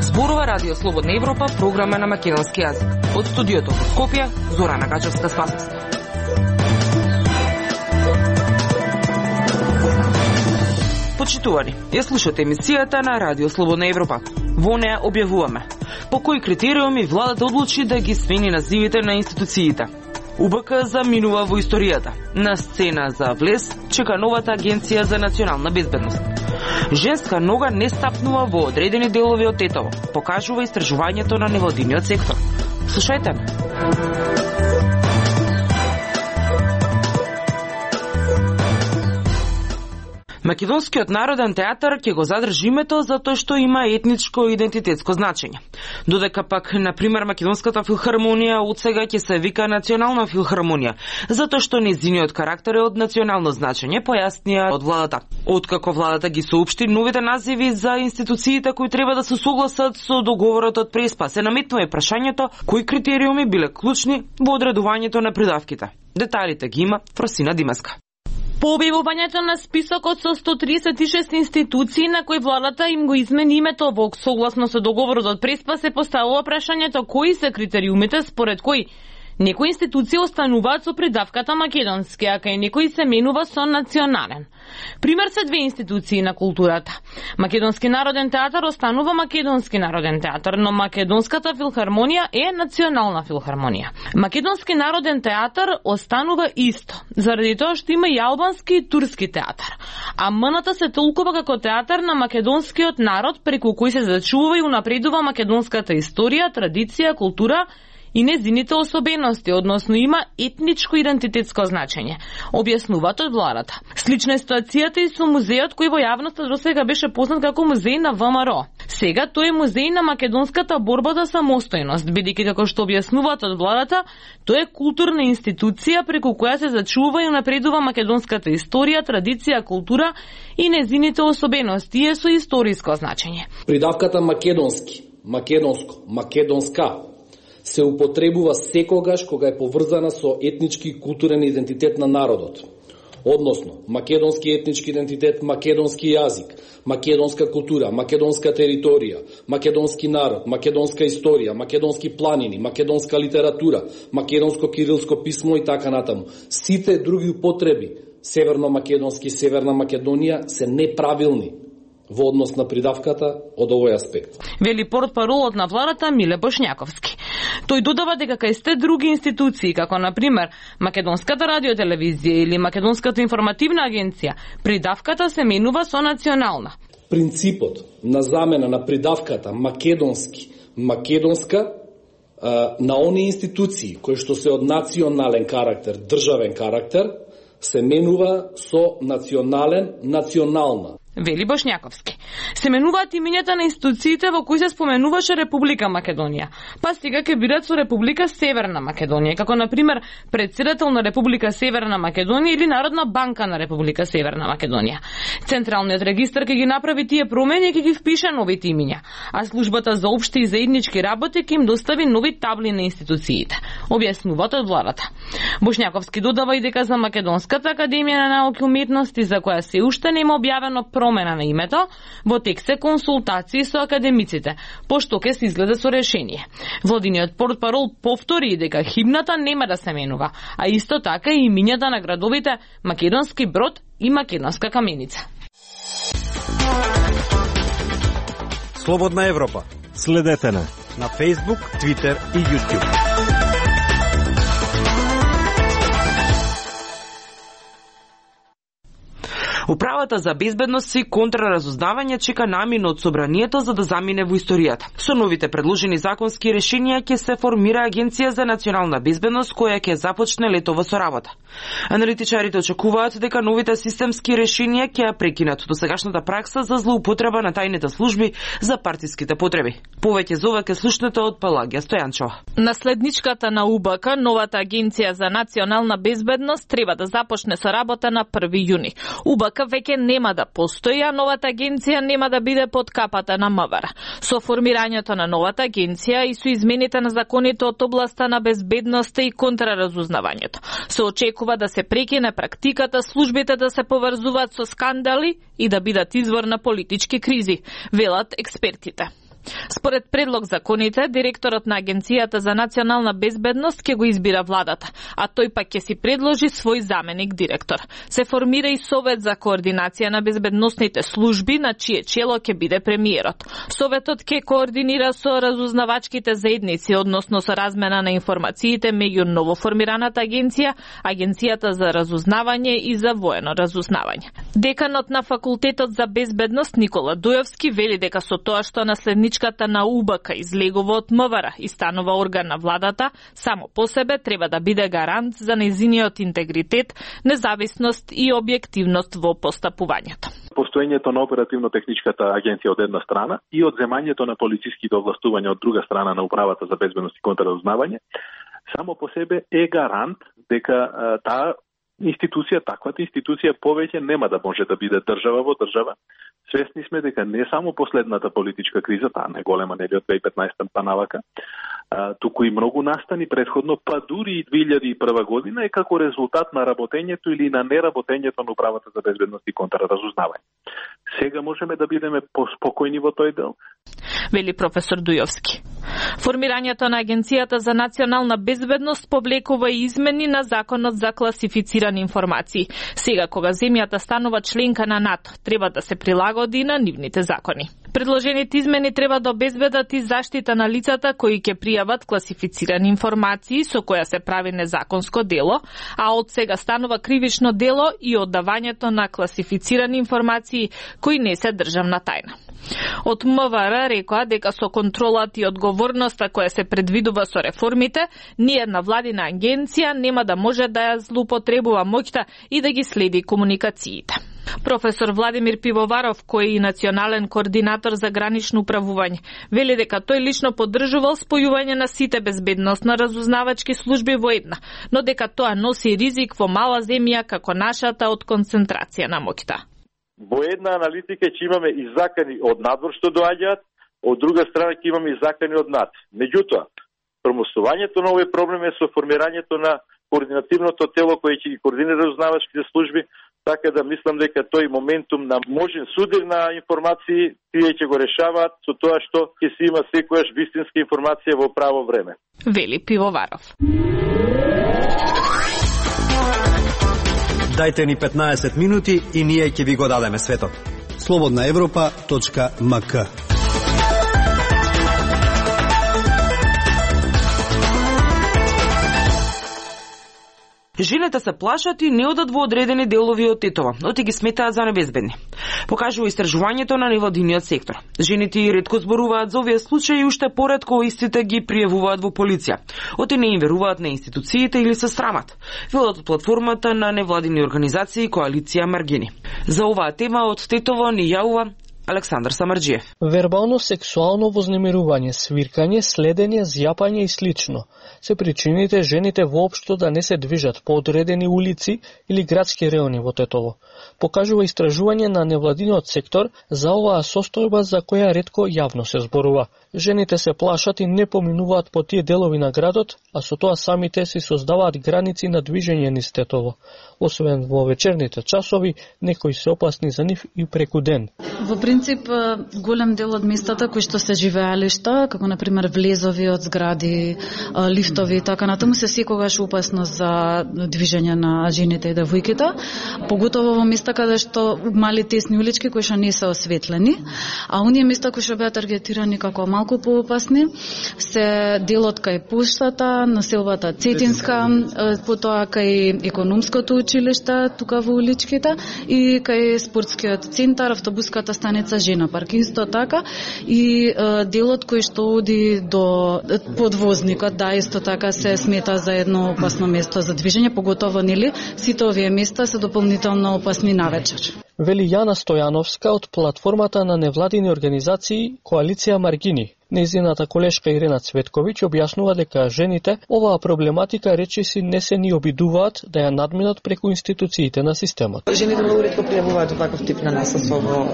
Зборува Радио Слободна Европа, програма на македонски јазик. Од студиото во Скопје, Зорана Гачевска-Спасовска. Почитувани, ја слушате емисијата на Радио Слободна Европа. Во неја објавуваме по кои критериуми владата одлучи да ги смени називите на институциите. УБК заминува во историјата. На сцена за влез чека новата Агенција за национална безбедност. Женска нога не стапнува во одредени делови од Тетово, покажува истражувањето на невладиниот сектор. Слушајте ме. Македонскиот народен театар ќе го задржи името затоа што има етничко и идентитетско значење. Додека пак, например, Македонската филхармонија од сега ќе се вика Национална филхармонија, затоа што нејзиниот карактер е од национално значење, појаснија од владата. Откако владата ги соопшти новите називи за институциите кои треба да се согласат со договорот од Преспа, се наметнува и прашањето кои критериуми биле клучни во одредувањето на придавките. Деталите ги има Фросина Димеска. По објавувањето на списокот со 136 институции на кои владата им го измени името во согласно со договорот од Преспа, се поставува прашањето кои се критериумите според кои некои институции остануваат со придавката македонски, а кај некои се менува со национален. Пример се две институции на културата. Македонски народен театар останува Македонски народен театар, но Македонската филхармонија е Национална филхармонија. Македонски народен театар останува исто, заради тоа што има и албански и турски театар. А МНТ се толкува како театар на македонскиот народ, преку кој се зачува и унапредува македонската историја, традиција, култура и незините особености, односно има етничко идентитетско значење, објаснуваат од владата. Слична е ситуацијата и со музејот кој во јавноста досега беше познат како музеј на ВМРО. Сега тој е музеј на македонската борба за самостојност, бидејќи како што објаснуваат од владата, тој е културна институција преку која се зачува и унапредува македонската историја, традиција, култура и незините особености и е со историско значење. Придавката македонски, македонско, македонска се употребува секогаш кога е поврзана со етнички и културен идентитет на народот. Односно, македонски етнички идентитет, македонски јазик, македонска култура, македонска територија, македонски народ, македонска историја, македонски планини, македонска литература, македонско кирилско писмо и така натаму. Сите други употреби, северно-македонски, Северна Македонија, се неправилни во однос на придавката од овој аспект. Вели портпаролот на владата Миле Бошњаковски. Тој додава дека кај сте други институции, како например Македонската радиотелевизија или Македонската информативна агенција, придавката се менува со национална. Принципот на замена на придавката македонски, македонска на оние институции кои што се од национален карактер, државен карактер, се менува со национален, национална. Вели Бошњаковски. Се менуваат имињата на институциите во кои се споменуваше Република Македонија. Па сега ќе бидат со Република Северна Македонија, како например председател на Република Северна Македонија или Народна банка на Република Северна Македонија. Централниот регистар ќе ги направи тие промени и ќе ги впише новите имиња, а службата за општи и заеднички работи ќе им достави нови табли на институциите, објаснуваат од владата. Бошњаковски додава и дека за Македонската академија на науки и уметности, за која се уште нема објавено промена на името, во тек се консултации со академиците, пошто ќе се излезе со решение. Владиниот портпарол повтори дека химната нема да се менува, а исто така и имињата на градовите Македонски Брод и Македонска Каменица. Слободна Европа. Следете на Facebook, Twitter и YouTube. Управата за безбедност и контраразузнавање чека намин од собранието за да замине во историјата. Со новите предложени законски решенија ќе се формира Агенција за национална безбедност која ќе започне летово со работа. Аналитичарите очекуваат дека новите системски решенија ќе ја прекинат досегашната пракса за злоупотреба на тајните служби за партиските потреби. Повеќе за ова ке слушнете од Пелагија Стојанчова. Наследничката на УБК, новата Агенција за национална безбедност, треба да започне со работа на 1 јуни. УБК веќе нема да постои, а новата агенција нема да биде под капата на МВР. Со формирањето на новата агенција и со измените на законите од областа на безбедноста и контраразузнавањето, се очекува да се прекине практиката службите да се поврзуваат со скандали и да бидат извор на политички кризи, велат експертите. Според предлог законите, директорот на Агенцијата за национална безбедност ќе го избира владата, а тој пак ќе си предложи свој заменик директор. Се формира и Совет за координација на безбедносните служби, на чие чело ќе биде премиерот. Советот ќе координира со разузнавачките заедници, односно со размена на информациите меѓу новоформираната агенција, Агенцијата за разузнавање и за воено разузнавање. Деканот на Факултетот за безбедност Никола Дујовски вели дека со тоа што наследничката на УБК излегува од МВР и станува орган на владата, само по себе треба да биде гарант за нејзиниот интегритет, независност и објективност во постапувањето. Постоењето на оперативно-техничката агенција од една страна и одземањето на полициски овластувања од друга страна на Управата за безбедност и контраразузнавање само по себе е гарант дека таа институција, таквата институција повеќе нема да може да биде држава во држава. Свесни сме дека не само последната политичка криза, таа најголема нели од 2015 па навака, туку и многу настани предходно, па дури и 2001 година е како резултат на работењето или на неработењето на Управата за безбедност и контраразузнавање. Сега можеме да бидеме поспокојни во тој дел, вели професор Дујовски. Формирањето на Агенцијата за национална безбедност повлекува и измени на Законот за класифицирани информации. Сега, кога земјата станува членка на НАТО, треба да се прилагоди на нивните закони. Предложените измени треба да обезбедат и заштита на лицата кои ќе пријават класифицирани информации со која се прави незаконско дело, а од сега станува кривично дело и оддавањето на класифицирани информации кои не се државна тајна. Од МВР рекоа дека со контролата и одговорноста која се предвидува со реформите, ниедна владина агенција нема да може да ја злоупотребува моќта и да ги следи комуникациите. Професор Владимир Пивоваров, кој е и национален координатор за гранично управување, вели дека тој лично поддржувал спојување на сите безбедностно разузнавачки служби во една, но дека тоа носи ризик во мала земја како нашата од концентрација на моќта. Во една аналитика ќе имаме и закани од надвор што доаѓаат, од друга страна ќе имаме и закани од над. Меѓутоа, промоствувањето на овој проблем е со формирањето на координативното тело кој ќе ги координира разузнавачките служби, така да мислам дека тој моментум на можен судир на информации тие ќе го решаваат со тоа што ќе се има секојаш вистинска информација во право време. Вели Пивоваров. Дајте ни 15 минути и ние ќе ви го дадеме светот. slobodnaevropa.mk. Жените се плашат и не одат во одредени делови од Тетово, оти ги сметаат за небезбедни. Покажува истражувањето на невладиниот сектор. Жените и ретко зборуваат за овие случаи и уште поретко истите ги пријавуваат во полиција. Оти не им веруваат на институциите или се срамат. Велат од платформата на невладини организации Коалиција Маргини. За оваа тема од Тетово ни јавува Александар Самарџиев. Вербално сексуално вознемирување, свиркање, следење, зјапање и слично се причините жените воопшто да не се движат по одредени улици или градски реони во Тетово. Покажува истражување на невладиниот сектор за оваа состојба за која ретко јавно се зборува. Жените се плашат и не поминуваат по тие делови на градот, а со тоа самите си создаваат граници на движење низ Тетово. Освен во вечерните часови, некои се опасни за нив и преку ден. Во принцип, голем дел од местата кои што се живеалишта, како например влезови од згради, лифтови и така натаму, се секогаш опасно за движење на жените и девојките, поготово во места каде што мали тесни улички кои што не се осветлени, а оние места кои што беа таргетирани како малку поопасни се делот кај поштата, населбата Цетинска, потоа кај економското училиште тука во уличките и кај спортскиот центар, автобуската станица Жена парк исто така и делот кој што оди до подвозникот, да, исто така се смета за едно опасно место за движење, поготово нели сите овие места се дополнително опасни навечер. Вели Јана Стојановска од платформата на невладини организации Коалиција Маргини. Нејзината колешка Ирена Цветковиќ објаснува дека жените оваа проблематика речиси не се ни обидуваат да ја надминат преку институциите на системот. Жените многу ретко пријавуваат ваков тип на насилство во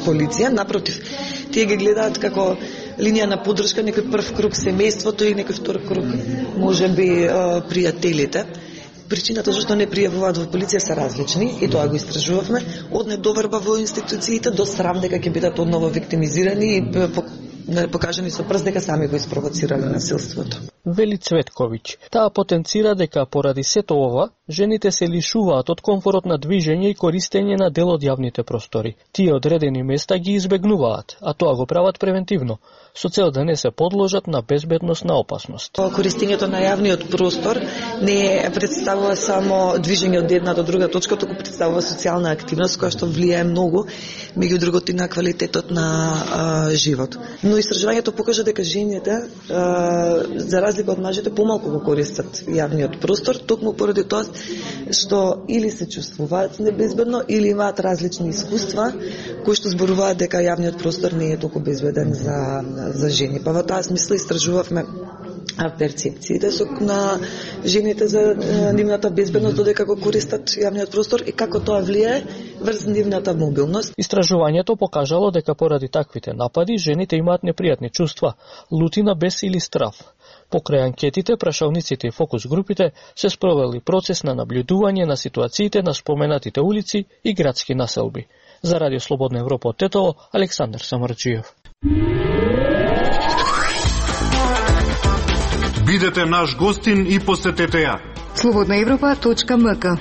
полиција, напротив, тие ги гледаат како линија на поддршка, некој прв круг семејството и некој втор круг можеби пријателите. Причината зашто не пријавуваат во полиција се различни и тоа го истражувавме, од недоверба во институциите до страв дека ќе бидат одново виктимизирани и покажани со прст дека сами го испровоцирале насилството. Вели Цветковиќ. Таа потенцира дека поради сето ова, жените се лишуваат од комфорот на движење и користење на дел од јавните простори. Тие одредени места ги избегнуваат, а тоа го прават превентивно, со цел да не се подложат на безбедносна опасност. Користењето на јавниот простор не представува само движење од една до друга точка, туку представува социјална активност која што влијае многу, меѓу другото и на квалитетот на живот. Но истражувањето покажа дека жените, за разлика од мажите, помалку го користат јавниот простор, токму поради тоа што или се чувствуваат небезбедно, или имаат различни искуства кои што зборуваат дека јавниот простор не е толку безбеден за жени. Па во таа смисла истражувавме перцепциите на жените за нивната безбедност додека го користат јавниот простор и како тоа влијае врз нивната мобилност. Истражувањето покажало дека поради таквите напади жените имаат непријатни чувства, лутина, бес или страв. Покрај анкетите, прашалниците и фокус групите се спровели процес на наблюдување на ситуациите на споменатите улици и градски населби. За Радио Слободна Европа од Тетово, Александар Самарджиев. Бидете наш гостин и посетете ја. slobodnaevropa.mk.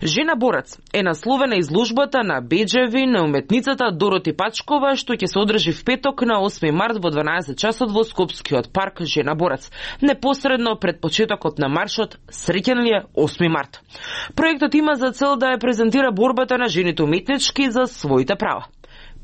Жена борец е насловена изложбата на беџеви на уметницата Дороти Пачкова, што ќе се одржи в петок на 8 март во 12 часот во Скопскиот парк Жена борец, непосредно пред почетокот на маршот Среќен ли е 8 март. Проектот има за цел да ја презентира борбата на жените уметнички за своите права.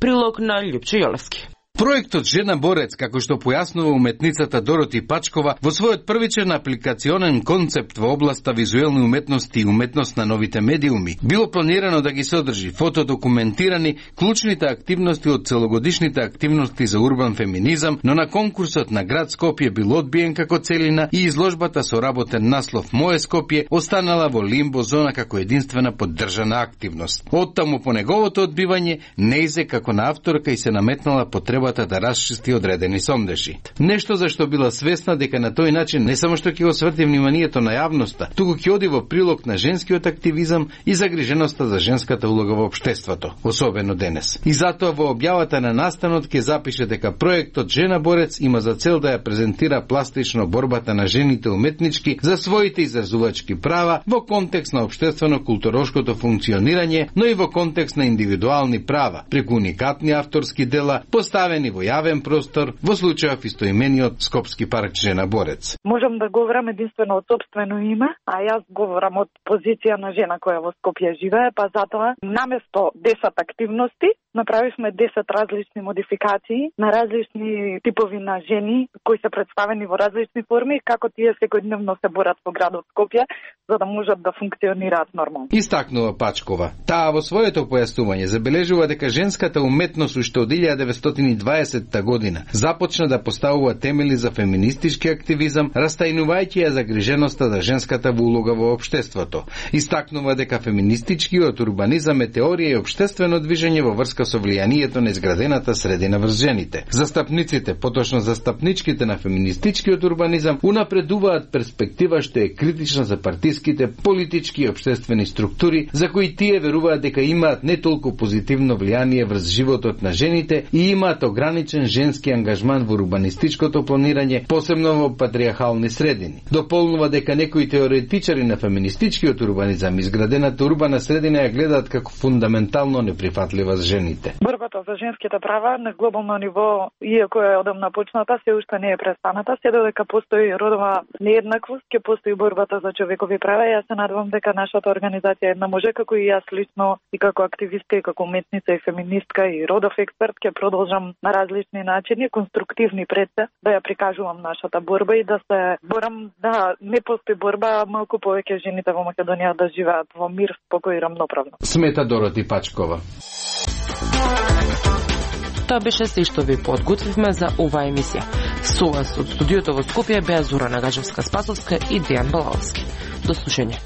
Прилог на Љупчо Јолевски. Проектот Жена борец, како што појаснува уметницата Дороти Пачкова, во својот првичен апликационен концепт во областа визуелни уметности и уметност на новите медиуми, било планирано да ги содржи фотодокументирани клучните активности од целогодишните активности за урбан феминизам, но на конкурсот на град Скопје бил одбиен како целина и изложбата со работен наслов Моје Скопје останала во лимбо зона како единствена поддржана активност. Оттаму по неговото одбивање неизе како на авторка и се наметнала потреба да расчисти одредени сондеши. Нешто за што била свесна дека на тој начин не само што ќе го сврти вниманието на јавноста, туку ќе оди во прилог на женскиот активизам и загриженоста за женската улога во општеството, особено денес. И затоа во објавата на настанот ќе запише дека проектот Жена борец има за цел да ја презентира пластично борбата на жените уметнички за своите изразувачки права во контекст на општествено-културошкото функционирање, но и во контекст на индивидуални права, преку уникатни авторски дела, поставени во јавен простор, во случајов истоимениот Скопски парк Жена борец. Можам да говорам единствено од сопствено име, а јас говорам од позиција на жена која во Скопје живее, па затоа наместо 10 активности направивме 10 различни модификации на различни типови на жени кои се представени во различни форми, како тие секојдневно се борат во градот Скопје за да можат да функционираат нормално. Истакнува Пачкова. Таа во своето појаснување забележува дека женската уметност уште од 1920 година започна да поставува темели за феминистички активизам, растајнувајќи ја загриженоста за женската улога во општеството. Истакнува дека феминистичкиот урбанизам е теорија и општествено движење во врска со влијанието на изградената средина врз жените. Застапниците, поточно застапничките на феминистичкиот урбанизам, унапредуваат перспектива што е критична за партиските, политички и општествени структури, за кои тие веруваат дека имаат не толку позитивно влијание врз животот на жените и имаат ограничен женски ангажман во урбанистичкото планирање, посебно во патриархални средини. Дополнува дека некои теоретичари на феминистичкиот урбанизам изградената урбана средина ја гледаат како фундаментално неприфатлива за жените. Борбата за женските права на глобално ниво, иако е одамна почната, се уште не е престаната, се додека постои родова нееднаквост, ќе постои борбата за човекови права. Јас се надевам дека нашата организација една може, како и јас лично, и како активистка, и како уметница, и феминистка, и родов експерт, ќе продолжам на различни начини, конструктивни пред се, да ја прикажувам нашата борба и да се борам да не постои борба, малку повеќе жените во Македонија да живеат во мир, спокој и рамноправно. Смета Дороти Пачкова. Тоа беше се што ви подготвивме за оваа емисија. Со вас од студиото во Скопје беа Зора Нагажевска-Спасовска и Дејан Балаловски. До слушање.